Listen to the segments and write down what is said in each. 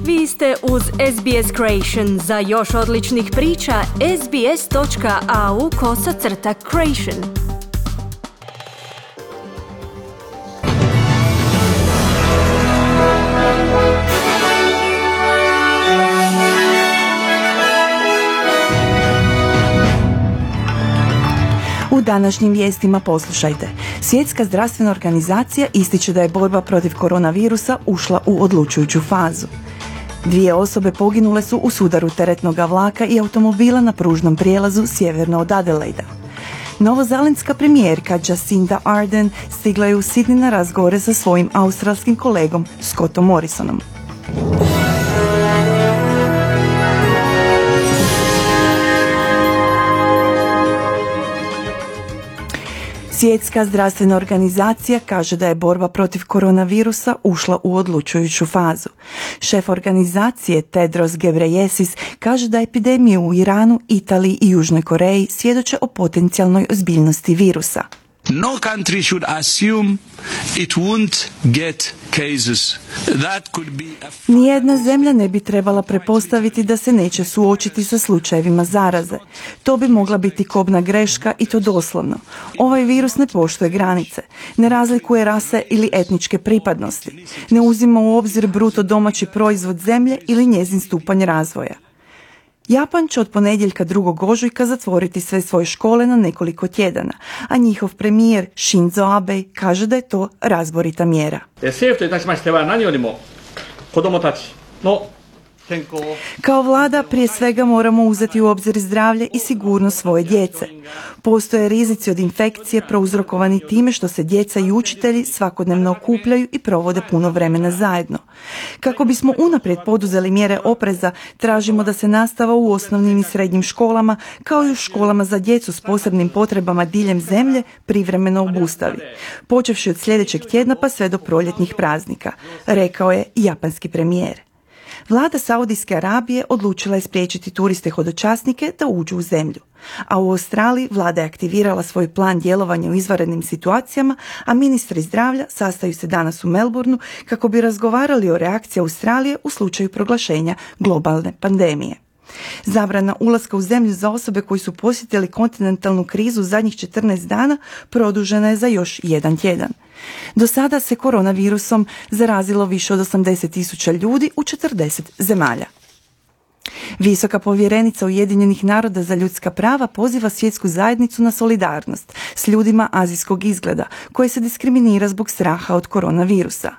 Vi ste uz SBS Creation. Za još odličnih priča, sbs.au/creation. U današnjim vijestima poslušajte. Svjetska zdravstvena organizacija ističe da je borba protiv koronavirusa ušla u odlučujuću fazu. 2 osobe poginule su u sudaru teretnog vlaka i automobila na pružnom prijelazu sjeverno od Adelaida. Novozelandska premijerka Jacinda Ardern stigla je u Sydney na razgovore sa svojim australskim kolegom Scottom Morrisonom. Svjetska zdravstvena organizacija kaže da je borba protiv koronavirusa ušla u odlučujuću fazu. Šef organizacije Tedros Ghebreyesus kaže da epidemije u Iranu, Italiji i Južnoj Koreji svjedoče o potencijalnoj ozbiljnosti virusa. No country should assume it won't get cases. That could be Nijedna zemlja ne bi trebala pretpostaviti da se neće suočiti sa slučajevima zaraze. To bi mogla biti kobna greška i to doslovno. Ovaj virus ne poštuje granice, ne razlikuje rase ili etničke pripadnosti, ne uzima u obzir bruto domaći proizvod zemlje ili njezin stupanj razvoja. Japan će od ponedjeljka 2. ožujka zatvoriti sve svoje škole na nekoliko tjedana, a njihov premijer Shinzo Abe kaže da je to razborita mjera. Kao vlada prije svega moramo uzeti u obzir zdravlje i sigurnost svoje djece. Postoje rizici od infekcije prouzrokovani time što se djeca i učitelji svakodnevno okupljaju i provode puno vremena zajedno. Kako bismo unaprijed poduzeli mjere opreza, tražimo da se nastava u osnovnim i srednjim školama, kao i u školama za djecu s posebnim potrebama diljem zemlje, privremeno obustavi, počevši od sljedećeg tjedna pa sve do proljetnih praznika, rekao je japanski premijer. Vlada Saudijske Arabije odlučila je spriječiti turiste hodočasnike da uđu u zemlju. A u Australiji vlada je aktivirala svoj plan djelovanja u izvanrednim situacijama, a ministri zdravlja sastaju se danas u Melbourneu kako bi razgovarali o reakciji Australije u slučaju proglašenja globalne pandemije. Zabrana ulaska u zemlju za osobe koji su posjetili kontinentalnu krizu zadnjih 14 dana produžena je za još 1 tjedan. Do sada se koronavirusom zarazilo više od 80.000 ljudi u 40 zemalja. Visoka povjerenica Ujedinjenih naroda za ljudska prava poziva svjetsku zajednicu na solidarnost s ljudima azijskog izgleda koje se diskriminira zbog straha od koronavirusa.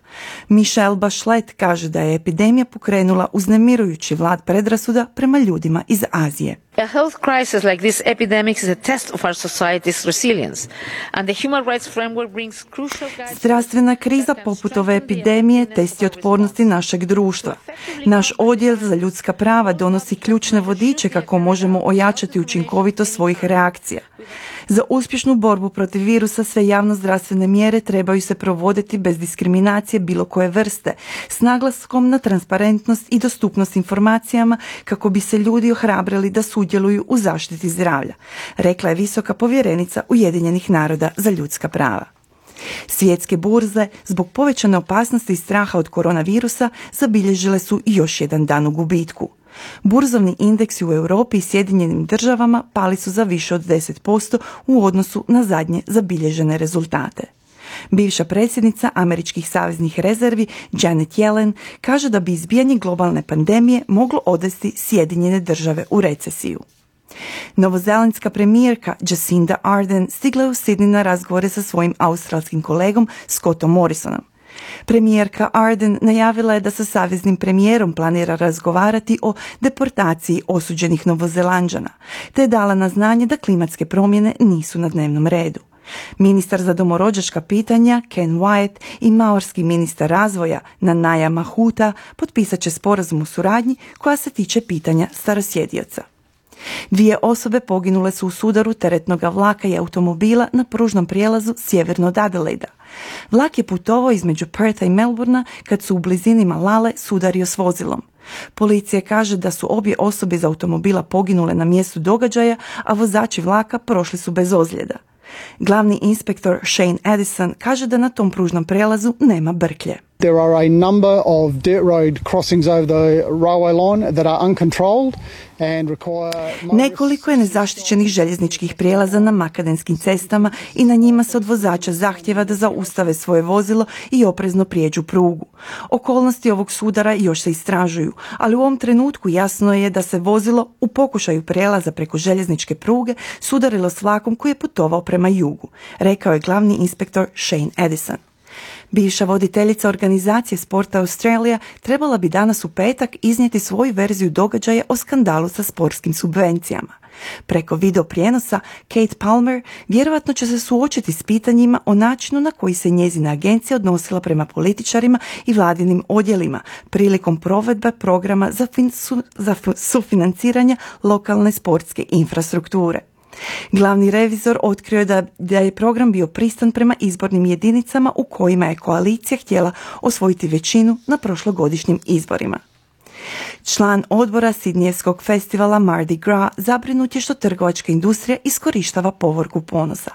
Michelle Bachelet kaže da je epidemija pokrenula uznemirujući vlad predrasuda prema ljudima iz Azije. A health crisis like this epidemic is a test of our society's resilience, and the human rights framework brings crucial guidelines. Zdravstvena kriza poput ove epidemije test je otpornosti našeg društva. Naš odjel za ljudska prava donosi ključne vodiče kako možemo ojačati učinkovitost svojih reakcija. Za uspješnu borbu protiv virusa sve javno-zdravstvene mjere trebaju se provoditi bez diskriminacije bilo koje vrste, s naglaskom na transparentnost i dostupnost informacijama kako bi se ljudi ohrabrili da sudjeluju u zaštiti zdravlja, rekla je visoka povjerenica Ujedinjenih naroda za ljudska prava. Svjetske burze zbog povećane opasnosti i straha od koronavirusa zabilježile su još jedan dan u gubitku. Burzovni indeksi u Europi i Sjedinjenim državama pali su za više od 10% u odnosu na zadnje zabilježene rezultate. Bivša predsjednica američkih saveznih rezervi Janet Yellen kaže da bi izbijanje globalne pandemije moglo odvesti Sjedinjene države u recesiju. Novozelandska premijerka Jacinda Ardern stigla je u Sydney na razgovore sa svojim australskim kolegom Scottom Morrisonom. Premijerka Ardern najavila je da sa saveznim premijerom planira razgovarati o deportaciji osuđenih Novozelanđana, te je dala na znanje da klimatske promjene nisu na dnevnom redu. Ministar za domorođačka pitanja Ken Wyatt i maorski ministar razvoja Nanaia Mahuta potpisat će sporazum o suradnji koja se tiče pitanja starosjedioca. 2 osobe poginule su u sudaru teretnog vlaka i automobila na pružnom prijelazu sjeverno od Adelaida. Vlak je putovao između Pertha i Melbournea kad su u blizini Malale sudario s vozilom. Policija kaže da su obje osobe iz automobila poginule na mjestu događaja, a vozači vlaka prošli su bez ozljeda. Glavni inspektor Shane Addison kaže da na tom pružnom prijelazu nema brklje. There are a number of dirt road crossings over the railway line that are uncontrolled and require... Nekoliko je nezaštićenih željezničkih prijelaza na makadamskim cestama i na njima se od vozača zahtjeva da zaustave svoje vozilo i oprezno prijeđu prugu. Okolnosti ovog sudara još se istražuju, ali u ovom trenutku jasno je da se vozilo u pokušaju prijelaza preko željezničke pruge sudarilo s vlakom koji je putovao prema jugu, rekao je glavni inspektor Shane Edison. Bivša voditeljica organizacije Sporta Australija trebala bi danas u petak iznijeti svoju verziju događaja o skandalu sa sportskim subvencijama. Preko video prijenosa Kate Palmer vjerojatno će se suočiti s pitanjima o načinu na koji se njezina agencija odnosila prema političarima i vladinim odjelima prilikom provedbe programa za sufinanciranje lokalne sportske infrastrukture. Glavni revizor otkrio je da je program bio pristan prema izbornim jedinicama u kojima je koalicija htjela osvojiti većinu na prošlogodišnjim izborima. Član odbora Sidnijevskog festivala Mardi Gras zabrinut je što trgovačka industrija iskorištava povorku ponosa.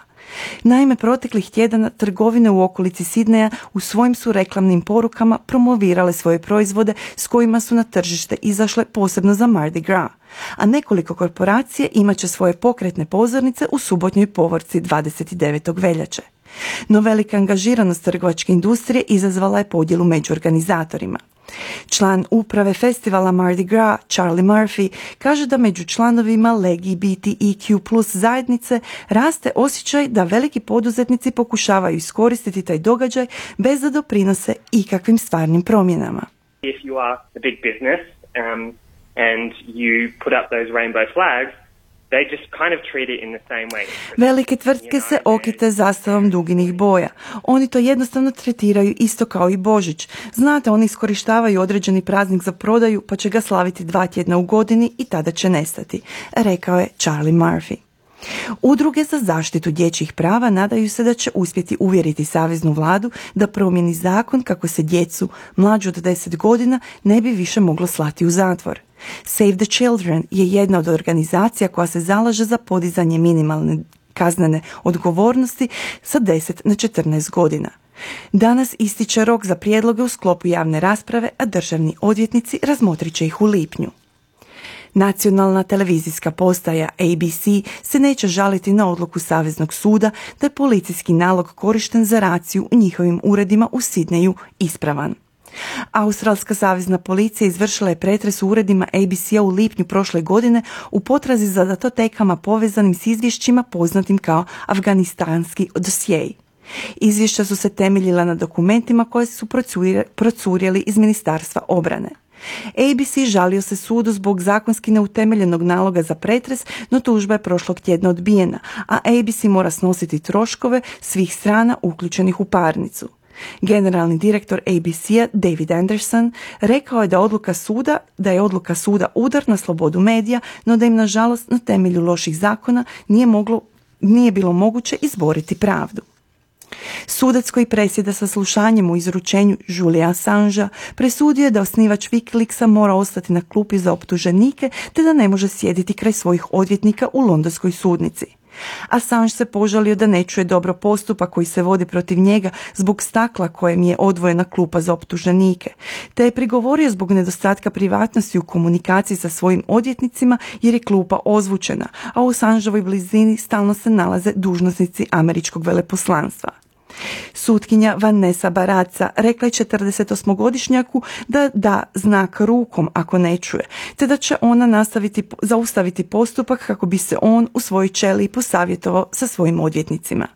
Naime, proteklih tjedana trgovine u okolici Sidneja u svojim su reklamnim porukama promovirale svoje proizvode s kojima su na tržište izašle posebno za Mardi Gras, a nekoliko korporacije imat će svoje pokretne pozornice u subotnjoj povorci 29. veljače. No velika angažiranost trgovačke industrije izazvala je podjelu među organizatorima. Član uprave festivala Mardi Gras, Charlie Murphy, kaže da među članovima LGBTIQ+ zajednice raste osjećaj da veliki poduzetnici pokušavaju iskoristiti taj događaj bez da doprinose ikakvim stvarnim promjenama. If you are a big business and you put up those rainbow flags, they just kind of treat it in the same way. Velike tvrtke se okite zastavom duginih boja. Oni to jednostavno tretiraju isto kao i Božić. Znate, oni iskorištavaju određeni praznik za prodaju pa će ga slaviti 2 tjedna u godini i tada će nestati, rekao je Charlie Murphy. Udruge za zaštitu dječjih prava nadaju se da će uspjeti uvjeriti saveznu vladu da promijeni zakon kako se djecu mlađu od 10 godina ne bi više moglo slati u zatvor. Save the Children je jedna od organizacija koja se zalaže za podizanje minimalne kaznene odgovornosti sa 10 na 14 godina. Danas ističe rok za prijedloge u sklopu javne rasprave, a državni odvjetnici razmotrit će ih u lipnju. Nacionalna televizijska postaja ABC se neće žaliti na odluku Saveznog suda da je policijski nalog korišten za raciju u njihovim uredima u Sidneju ispravan. Australska savezna policija izvršila je pretres u uredima ABC-a u lipnju prošle godine u potrazi za datotekama povezanim s izvješćima poznatim kao afganistanski dosjei. Izvješća su se temeljila na dokumentima koje su procurjeli iz Ministarstva obrane. ABC žalio se sudu zbog zakonski neutemeljenog naloga za pretres, no tužba je prošlog tjedna odbijena, a ABC mora snositi troškove svih strana uključenih u parnicu. Generalni direktor ABC-a David Anderson rekao je da je odluka suda udar na slobodu medija, no da im nažalost na temelju loših zakona nije bilo moguće izboriti pravdu. Sudac koji presjeda saslušanjem u izručenju Julia Assangea presudio je da osnivač Wikileaksa mora ostati na klupi za optuženike te da ne može sjediti kraj svojih odvjetnika u londonskoj sudnici. Assange se požalio da ne čuje dobro postupak koji se vodi protiv njega zbog stakla kojem je odvojena klupa za optuženike, te je prigovorio zbog nedostatka privatnosti u komunikaciji sa svojim odvjetnicima jer je klupa ozvučena, a u Assangeovoj blizini stalno se nalaze dužnosnici američkog veleposlanstva. Sutkinja Vanessa Baraca rekla je 48-godišnjaku da da znak rukom ako ne čuje, te da će ona zaustaviti postupak kako bi se on u svojoj ćeliji posavjetovao sa svojim odvjetnicima.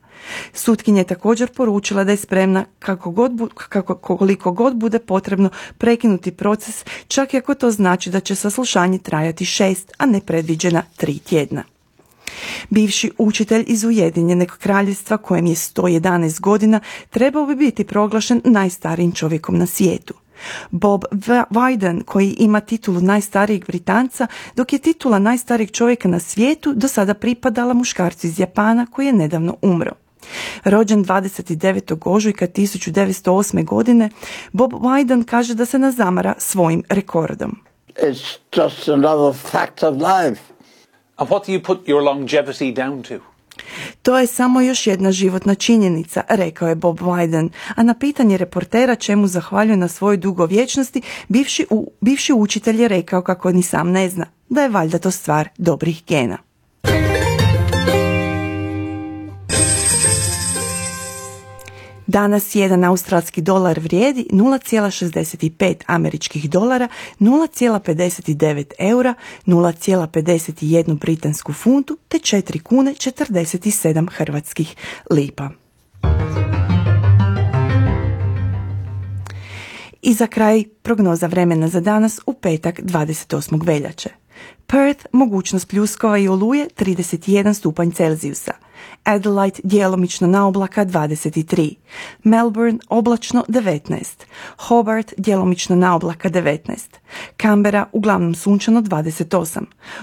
Sutkinja je također poručila da je spremna koliko god bude potrebno prekinuti proces, čak i ako to znači da će saslušanje trajati 6, a ne predviđena 3 tjedna. Bivši učitelj iz Ujedinjenog kraljevstva kojem je 111 godina trebao bi biti proglašen najstarijim čovjekom na svijetu. Bob Wyden, koji ima titulu najstarijeg Britanca, dok je titula najstarijeg čovjeka na svijetu do sada pripadala muškarcu iz Japana koji je nedavno umro. Rođen 29. ožujka 1908. godine, Bob Wyden kaže da se ne zamara svojim rekordom. It's just another fact of life. And what do you put your longevity down to? To je samo još jedna životna činjenica, rekao je Bob Wyden, a na pitanje reportera čemu zahvaljuje na svojoj dugovječnosti, bivši učitelj je rekao kako ni sam ne zna, da je valjda to stvar dobrih gena. Danas jedan australski dolar vrijedi 0,65 američkih dolara, 0,59 eura, 0,51 britansku funtu te 4 kune 47 hrvatskih lipa. I za kraj prognoza vremena za danas u petak 28. veljače. Perth, mogućnost pljuskova i oluje 31 stupanj Celzijusa. Adelaide, djelomično na oblaka 23. Melbourne, oblačno 19. Hobart, djelomično na oblaka 19. Canberra, uglavnom sunčano 28.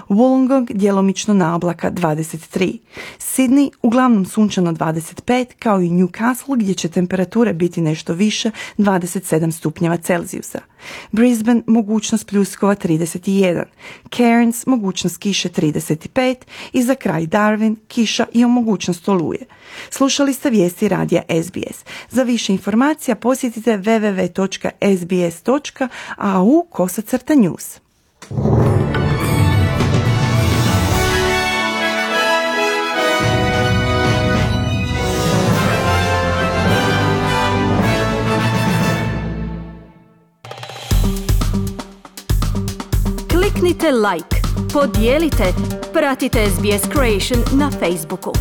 Wollongong, djelomično na oblaka 23. Sydney, uglavnom sunčano 25, kao i Newcastle gdje će temperature biti nešto više 27 stupnjeva Celzijusa. Brisbane, mogućnost pljuskova 31. Cairns, mogućnost kiše 35 i za kraj Darwin, kiša i mogućnost oluje. Slušali ste vijesti radija SBS. Za više informacija posjetite www.sbs.au/news. Kliknite like, podijelite, pratite SBS Creation na Facebooku.